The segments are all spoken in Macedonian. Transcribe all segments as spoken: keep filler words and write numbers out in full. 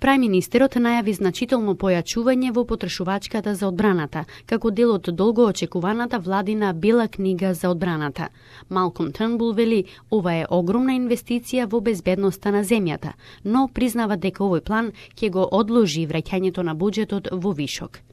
Прајминистерот најави значително појачување во потрошувачката за одбраната, како дел од долго очекуваната владина Бела книга за одбраната. Малком Трнбул вели, ова е огромна инвестиција во безбедноста на земјата, но признава дека овој план ќе го одложи враќањето на буџетот во вишок.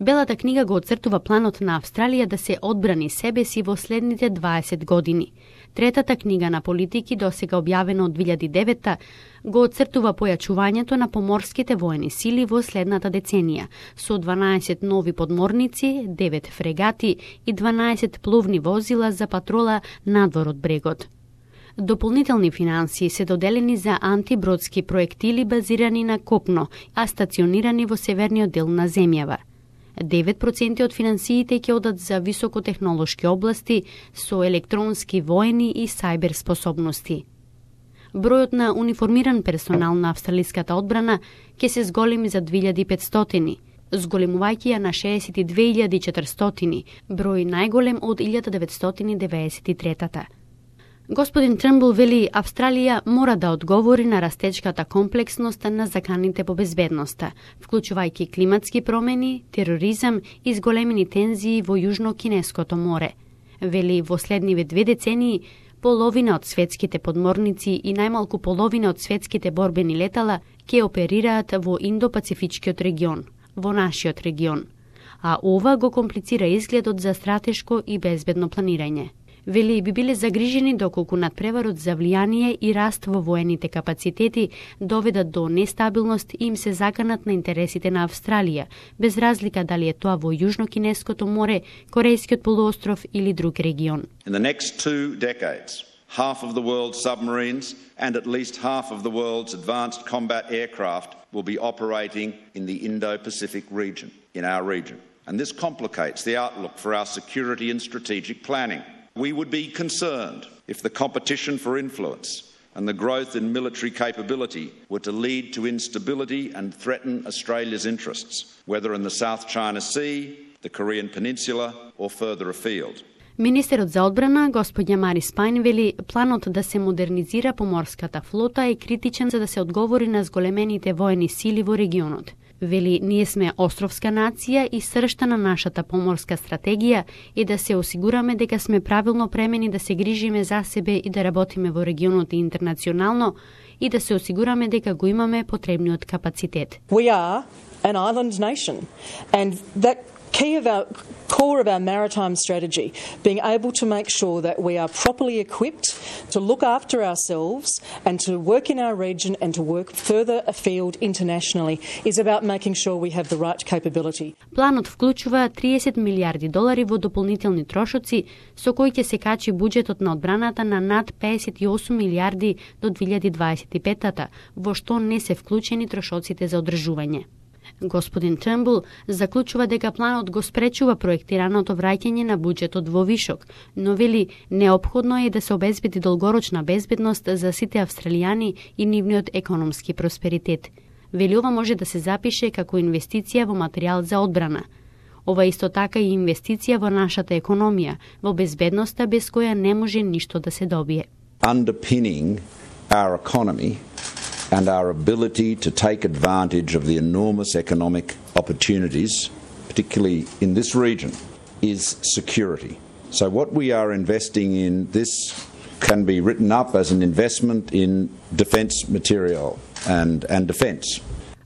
Белата книга го оцртува планот на Австралија да се одбрани себе си во следните дваесет години. Третата книга на политики, досега објавена од две илјади и девета, го оцртува појачувањето на поморските воени сили во следната деценија, со дванаесет нови подморници, девет фрегати и дванаесет пловни возила за патрола надвор од брегот. Дополнителни финансии се доделени за антибродски проектили базирани на копно, а стационирани во северниот дел на земјава. девет проценти од финансиите ќе одат за високотехнолошки области со електронски воени и сајбер способности. Бројот на униформиран персонал на австралиската одбрана ќе се зголеми за две илјади и петстотини, зголемувајќи ја на шеесет и две илјади и четиристотини, број најголем од илјада деветстотини девеесет и трета. Господин Трнбул вели, Австралија мора да одговори на растечката комплексност на заканите по безбедноста, вклучувајќи климатски промени, тероризам и зголемени тензии во Јужно-Кинеското море. Вели, во следниве две децении, половина од светските подморници и најмалку половина од светските борбени летала ќе оперираат во Индо-Пацифичкиот регион, во нашиот регион. А ова го комплицира изгледот за стратешко и безбедно планирање. Вели, би биле загрижени доколку надпреварот за влијание и раст во воените капацитети доведат до нестабилност и им се заканат на интересите на Австралија, без разлика дали е тоа во Јужно-Кинеското море, Корејскиот полуостров или друг регион. In the next two decades, half of the world's submarines and at least half of the world's advanced combat aircraft will be operating in the Indo-Pacific region, in our region. And this complicates the outlook for our security and strategic planning. We would be concerned if the competition for influence and the growth in military capability were to lead to instability and threaten Australia's interests, whether in the South China Sea, the Korean Peninsula or further afield. Министерот за одбрана, господја Мари Спајн, вели планот да се модернизира поморската флота е критичен за да се одговори на зголемените воени сили во регионот. Вели, ние сме островска нација и сршта на нашата поморска стратегија и да се осигураме дека сме правилно премени да се грижиме за себе и да работиме во регионот и интернационално и да се осигураме дека го имаме потребниот капацитет. We are an island nation and that key of our core of our maritime strategy, being able to make sure that we are properly equipped to look after ourselves and to work in our region and to work further afield internationally is about making sure we have the right capability. Планот вклучува триесет милиарди долари во дополнителни трошоци, со кои ќе се качи буџетот на одбраната на над педесет и осум милиарди до две илјади дваесет и пета, во што не се вклучени трошоците за одржување. Господин Трнбул заклучува дека планот го спречува проектираното враќање на буџетот во вишок, но вели неопходно е да се обезбеди долгорочна безбедност за сите австралијани и нивниот економски просперитет. Вели ова може да се запише како инвестиција во материјал за одбрана. Ова исто така и инвестиција во нашата економија, во безбедноста без која не може ништо да се добие. Underpinning our economy and our ability to take advantage of the enormous economic opportunities, particularly in this region, is security. So what we are investing in, this can be written up as an investment in defence material and, and defence.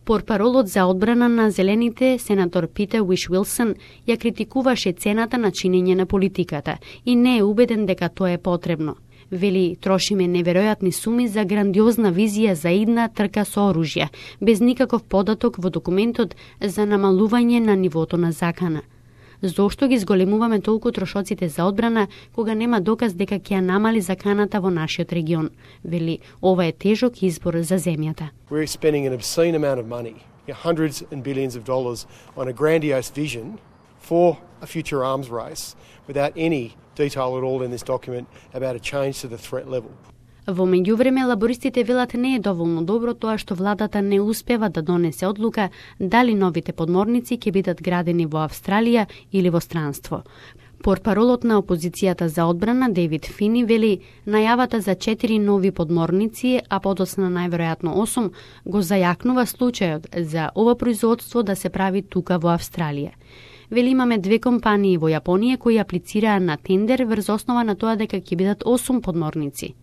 Портпаролот за одбрана на Зелените, сенатор Питер Уиш-Уилсон, ја критикуваше цената на чинење на политиката и не е убеден дека тоа е потребно. Вели, трошиме неверојатни суми за грандиозна визија за идна трка со оружја, без никаков податок во документот за намалување на нивото на закана. Зошто ги зголемуваме толку трошоците за одбрана, кога нема доказ дека ќе ја намали заканата во нашиот регион? Вели, ова е тежок избор за земјата. We're spending an obscene amount of money, hundreds and billions of dollars on a grandiose vision for a future arms race without any detail at all in this document about a change to the threat level. Во меѓувреме, лабористите велат не е доволно добро тоа што владата не успева да донесе одлука дали новите подморници ќе бидат градени во Австралија или во странство. Портпаролот на опозицијата за одбрана Дейвид Фини вели најавата за четири нови подморници, а подоцна најверојатно осум, го зајакнува случајот за ова производство да се прави тука во Австралија. Вели имаме две компании во Јапонија кои аплицираа на тендер врз основа на тоа дека ќе бидат осум подморници.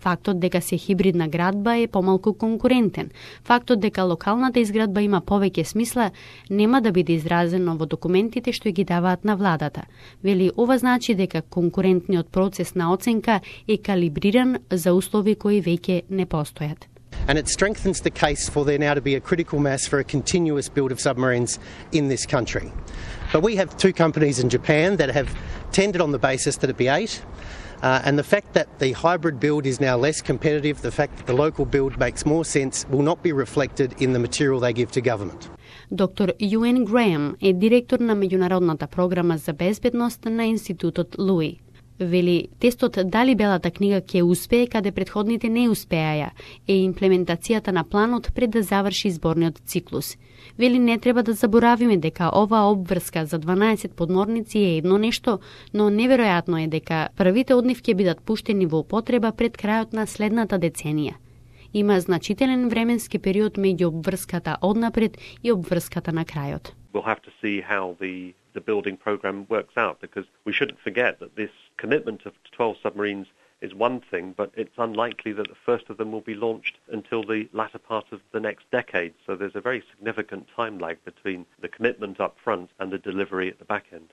Фактот дека се хибридна градба е помалку конкурентен. Фактот дека локалната изградба има повеќе смисла нема да биде изразено во документите што ги даваат на владата. Вели ова значи дека конкурентниот процес на оценка е калибриран за услови кои веќе не постојат. And it strengthens the case for there now to be a critical mass for a continuous build of submarines in this country. But we have two companies in Japan that have tendered on the basis that it be eight. Uh, and the fact that the hybrid build is now less competitive, the fact that the local build makes more sense, will not be reflected in the material they give to government. Доктор Юен Греем е директор на меѓународната програма за безбедност на Институтот Луи. Вели, тестот дали Белата книга ќе успее каде предходните не успеаја е имплементацијата на планот пред да заврши изборниот циклус. Вели, не треба да заборавиме дека оваа обврска за дванаесет подморници е едно нешто, но неверојатно е дека првите од нив ќе бидат пуштени во употреба пред крајот на следната деценија. Има значителен временски период меѓу обврската однапред и обврската на крајот. We'll have to see how the the building program works out, because we shouldn't forget that this commitment of twelve submarines is one thing, but it's unlikely that the first of them will be launched until the latter part of the next decade. So there's a very significant time lag between the commitment up front and the delivery at the back end.